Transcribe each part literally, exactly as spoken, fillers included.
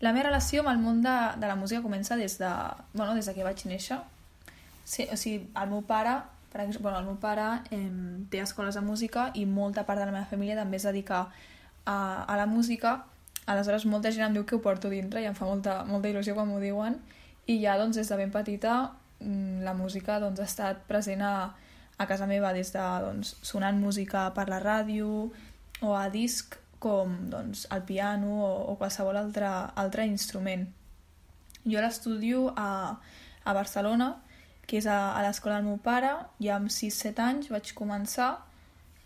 La meva relació amb el món de, de la música comença des de, bueno, des de que vaig néixer. Sí, o sigui, el meu pare, per exemple, bueno, el meu pare eh, té escoles de música i molta part de la meva família també es dedica a, a la música. Aleshores, molta gent em diu que ho porto dintre i em fa molta, molta il·lusió quan m'ho diuen. I ja, doncs, des de ben petita, la música doncs, ha estat present a, a casa meva, des de doncs, sonant música per la ràdio o a disc, com doncs, el piano o, o qualsevol altre, altre instrument. Jo l'estudio a, a Barcelona, que és a, a l'escola del meu pare. Ja amb sis set anys vaig començar.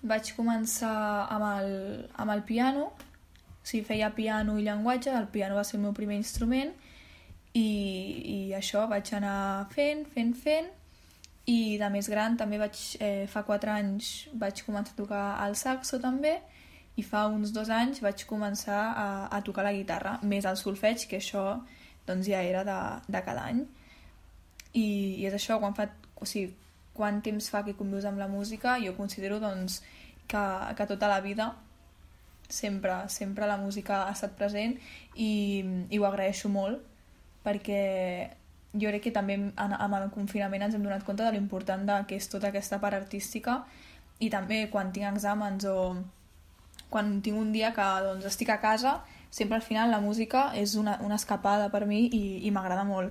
Vaig començar amb el, amb el piano, o sigui, feia piano i llenguatge, el piano va ser el meu primer instrument, i, i això vaig anar fent, fent, fent, i de més gran també vaig, eh, fa quatre anys vaig començar a tocar el saxo també, i fa uns dos anys vaig començar a, a tocar la guitarra, més el solfeig, que això doncs, ja era de, de cada any. I, i és això, quan fa, o sigui, quant temps fa que convius amb la música, jo considero doncs, que, que tota la vida sempre, sempre la música ha estat present i, i ho agraeixo molt, perquè jo crec que també amb el confinament ens hem donat compte de l'important que és tota aquesta part artística, i també quan tinc exàmens o quan tinc un dia que doncs, estic a casa, sempre al final la música és una, una escapada per mi i, i m'agrada molt.